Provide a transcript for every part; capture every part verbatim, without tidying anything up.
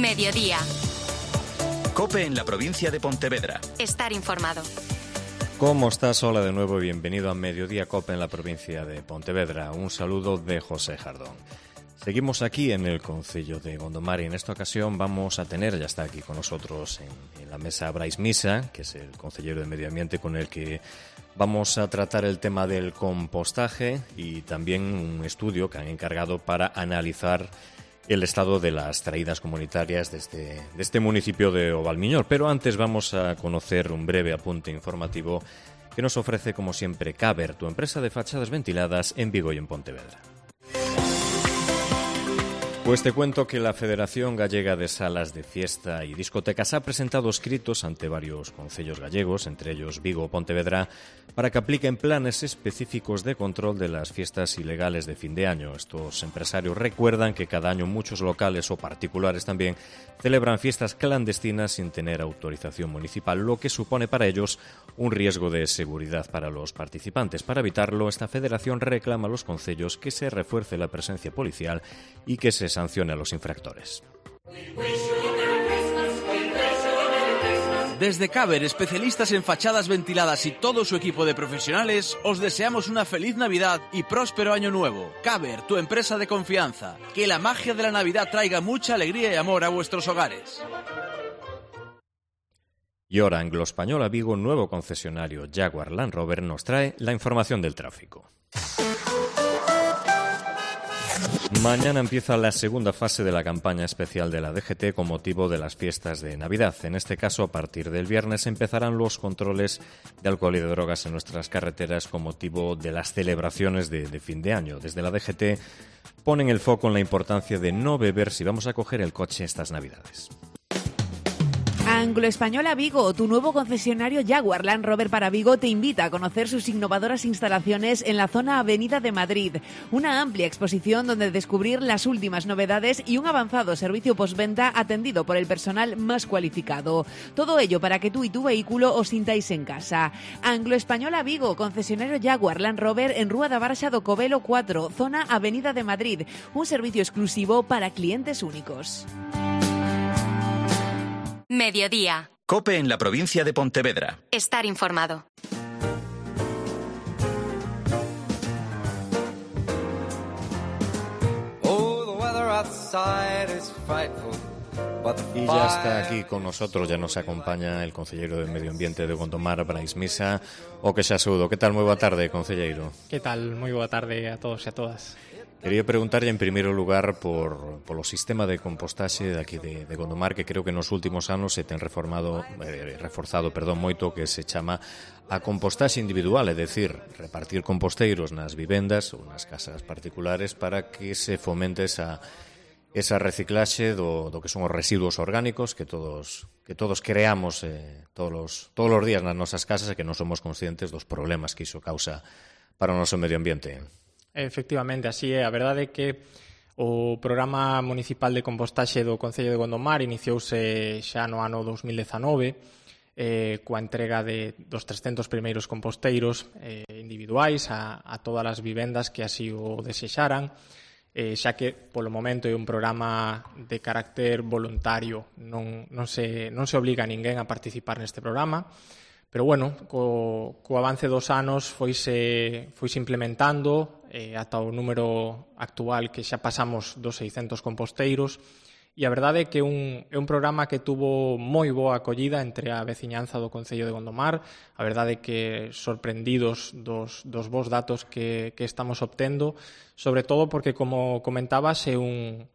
Mediodía. COPE en la provincia de Pontevedra. Estar informado. ¿Cómo estás? Hola de nuevo y bienvenido a Mediodía COPE en la provincia de Pontevedra. Un saludo de José Jardón. Seguimos aquí en el concello de Gondomar y en esta ocasión vamos a tener, ya está aquí con nosotros en, en la mesa Brais Misa, que es el concejero de Medio Ambiente con el que vamos a tratar el tema del compostaje y también un estudio que han encargado para analizar el estado de las traídas comunitarias de este, de este municipio de Ovalmiñor. Pero antes vamos a conocer un breve apunte informativo que nos ofrece, como siempre, Caber, tu empresa de fachadas ventiladas en Vigo y en Pontevedra. Pues te cuento que la Federación Gallega de Salas de Fiesta y Discotecas ha presentado escritos ante varios concellos gallegos, entre ellos Vigo o Pontevedra, para que apliquen planes específicos de control de las fiestas ilegales de fin de año. Estos empresarios recuerdan que cada año muchos locales o particulares también celebran fiestas clandestinas sin tener autorización municipal, lo que supone para ellos un riesgo de seguridad para los participantes. Para evitarlo, esta federación reclama a los concellos que se refuerce la presencia policial y que se sancione a los infractores. Desde Caber, especialistas en fachadas ventiladas y todo su equipo de profesionales, os deseamos una feliz Navidad y próspero año nuevo. Caber, tu empresa de confianza. Que la magia de la Navidad traiga mucha alegría y amor a vuestros hogares. Y ahora, Anglo-Española Vigo, nuevo concesionario Jaguar Land Rover, nos trae la información del tráfico. Mañana empieza la segunda fase de la campaña especial de la D G T con motivo de las fiestas de Navidad. En este caso, a partir del viernes empezarán los controles de alcohol y de drogas en nuestras carreteras con motivo de las celebraciones de, de fin de año. Desde la D G T ponen el foco en la importancia de no beber si vamos a coger el coche estas Navidades. Anglo-Española Vigo, tu nuevo concesionario Jaguar Land Rover para Vigo, te invita a conocer sus innovadoras instalaciones en la zona Avenida de Madrid. Una amplia exposición donde descubrir las últimas novedades y un avanzado servicio postventa atendido por el personal más cualificado. Todo ello para que tú y tu vehículo os sintáis en casa. Anglo-Española Vigo, concesionario Jaguar Land Rover en Rúa da Barxa do Covelo cuatro, zona Avenida de Madrid. Un servicio exclusivo para clientes únicos. Mediodía. COPE en la provincia de Pontevedra. Estar informado. Y ya está aquí con nosotros, ya nos acompaña el concejero de Medio Ambiente de Gondomar, Brais Misa, o que xa saúdo. Que tal? Moi boa tarde, concejero. Que tal? Moi boa tarde a todos e a todas. Quería preguntarlle en primeiro lugar por polo sistema de compostaxe de aquí de, de Gondomar, que creo que nos últimos anos se ten reformado, eh, reforzado perdón, moito, que se chama a compostaxe individual, é dicir, repartir composteiros nas vivendas ou nas casas particulares para que se fomente esa, esa reciclaxe do, do que son os residuos orgánicos que todos que todos creamos eh, todos, os, todos os días nas nosas casas e que non somos conscientes dos problemas que iso causa para o noso medio ambiente. Efectivamente, así é. A verdade é que o Programa Municipal de Compostaxe do Concello de Gondomar iniciouse xa no ano dos mil dezanove eh, coa entrega de, dos trescentos primeiros composteiros eh, individuais a, a todas as vivendas que así o desexaran, eh, xa que polo momento é un programa de carácter voluntario, non, non, se, non se obliga a ninguén a participar neste programa. Pero, bueno, co, co avance dos anos foise, foise implementando eh, ata o número actual que xa pasamos dos seiscentos composteiros e a verdade é que é un, é un programa que tuvo moi boa acollida entre a veciñanza do Concello de Gondomar. A verdade é que sorprendidos dos, dos bons datos que, que estamos obtendo, sobre todo porque, como comentabas, é un,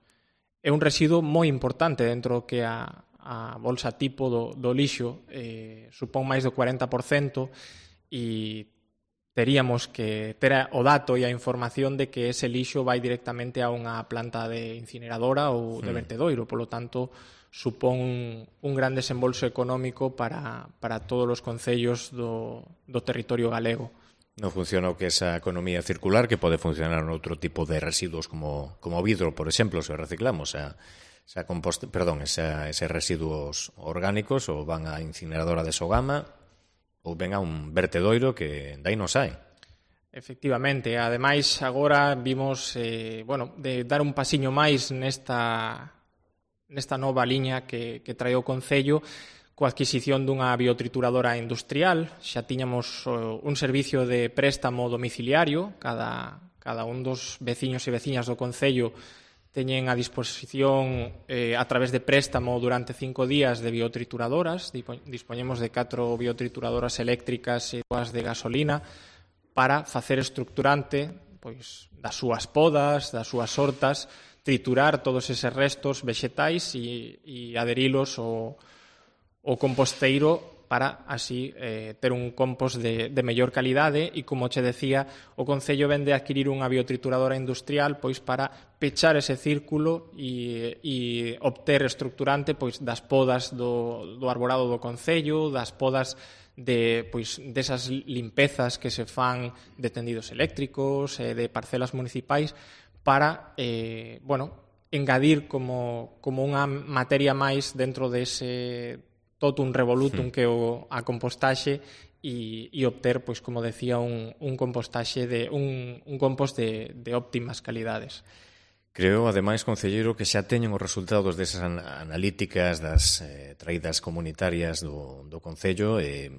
é un residuo moi importante dentro que a a bolsa tipo do, do lixo eh, supón máis do cuarenta por cento e teríamos que ter o dato e a información de que ese lixo vai directamente a unha planta de incineradora ou de vertedoiro, polo tanto supón un gran desembolso económico para, para todos os concellos do, do territorio galego. Non funciona o que esa economía circular que pode funcionar noutro tipo de residuos como, como vidro, por exemplo, se reciclamos a Esa compost, perdón, esa, eses residuos orgánicos ou van á incineradora de Sogama ou ven a un vertedoiro que dai non sai. Efectivamente, ademais agora vimos, eh, bueno, de dar un pasiño máis nesta nesta nova liña que, que trae o Concello coa adquisición dunha biotrituradora industrial. Xa tiñamos uh, un servicio de préstamo domiciliario, cada, cada un dos veciños e veciñas do Concello teñen a disposición eh, a través de préstamo durante cinco días de biotrituradoras. Dispoñemos de catro biotrituradoras eléctricas e dúas de gasolina para facer estructurante pois, das súas podas, das súas hortas, triturar todos eses restos vexetais e, e adherilos ao, ao composteiro para así eh, ter un compost de, de mellor calidade e, como che decía, o Concello vende a adquirir unha biotrituradora industrial pois para pechar ese círculo e, e obter estructurante pois das podas do, do arborado do Concello, das podas de pois desas limpezas que se fan de tendidos eléctricos, eh, de parcelas municipais para, eh, bueno, engadir como, como unha materia máis dentro dese totum revolutum que o a compostaxe e, e obter, pois como decía, un, un compostaxe de un, un compost de, de óptimas calidades. Creo, ademais, concelleiro, que xa teñen os resultados desas an analíticas das eh, traídas comunitarias do, do Concello e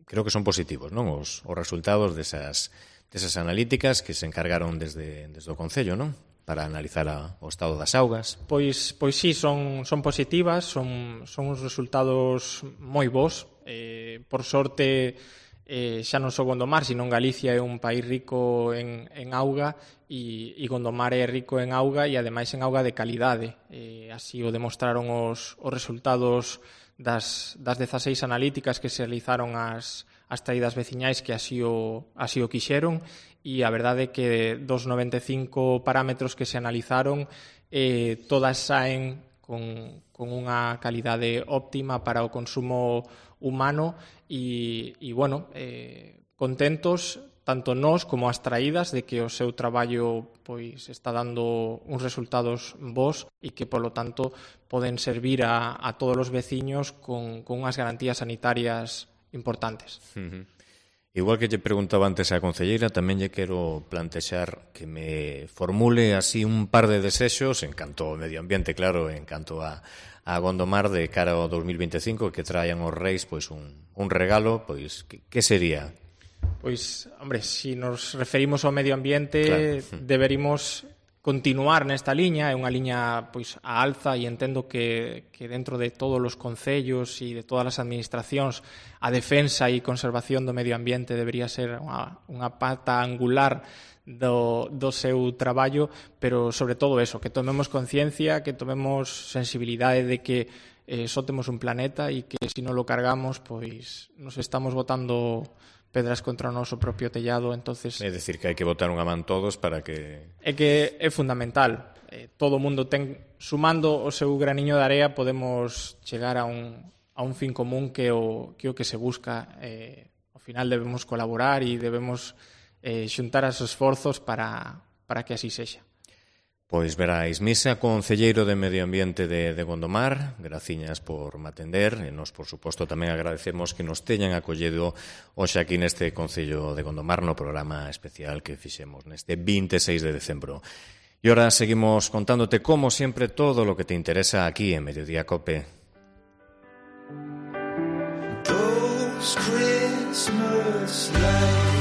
creo que son positivos, non? Os, os resultados desas, desas analíticas que se encargaron desde, desde o Concello, non? Para analizar a, o estado das augas. Pois, pois sí, son, son positivas, son, son uns resultados moi bons. Eh, por sorte, eh, xa non só Gondomar, sino Galicia é un país rico en, en auga e, e Gondomar é rico en auga e ademais en auga de calidade. Eh, así o demostraron os, os resultados das, das dezaseis analíticas que se realizaron as, as traídas veciñais que así o, así o quixeron. E a verdade é que dos noventa e cinco parámetros que se analizaron, eh, todas saen con, con unha calidade óptima para o consumo humano e, e bueno, eh, contentos tanto nós como as traídas de que o seu traballo pois está dando uns resultados bons e que, polo tanto, poden servir a, a todos os veciños con, con unhas garantías sanitarias importantes. Uh-huh. Igual que lle preguntaba antes a concelleira, tamén lle quero plantexar que me formule así un par de desexos en canto ao medio ambiente, claro, en canto a, a Gondomar de cara ao dos mil vinte e cinco, que traian os reis pois un, un regalo, pois que, que sería? Pois, hombre, se si nos referimos ao medio ambiente, claro, deberíamos continuar nesta liña, é unha liña pois a alza e entendo que, que dentro de todos os concellos e de todas as administracións a defensa e conservación do medio ambiente debería ser unha, unha pata angular do, do seu traballo, pero sobre todo eso, que tomemos conciencia, que tomemos sensibilidade de que eh, só temos un planeta e que se non lo cargamos, pois nos estamos botando pedras contra o noso propio tellado, entonces... É dicir, que hai que botar unha man todos para que... É que é fundamental. Eh, todo o mundo ten... Sumando o seu graniño de area podemos chegar a un, a un fin común que o que, o que se busca. Eh, ao final debemos colaborar e debemos eh, xuntar os esforzos para, para que así sexa. Pois veráis, Misa, concelleiro de Medio Ambiente de, de Gondomar, graciñas por me atender, e nos, por suposto, tamén agradecemos que nos teñan acollido hoxe aquí neste Concello de Gondomar no programa especial que fixemos neste vinte e seis de decembro. E ahora seguimos contándote, como sempre, todo lo que te interesa aquí en Mediodía Cope. Those Christmas lights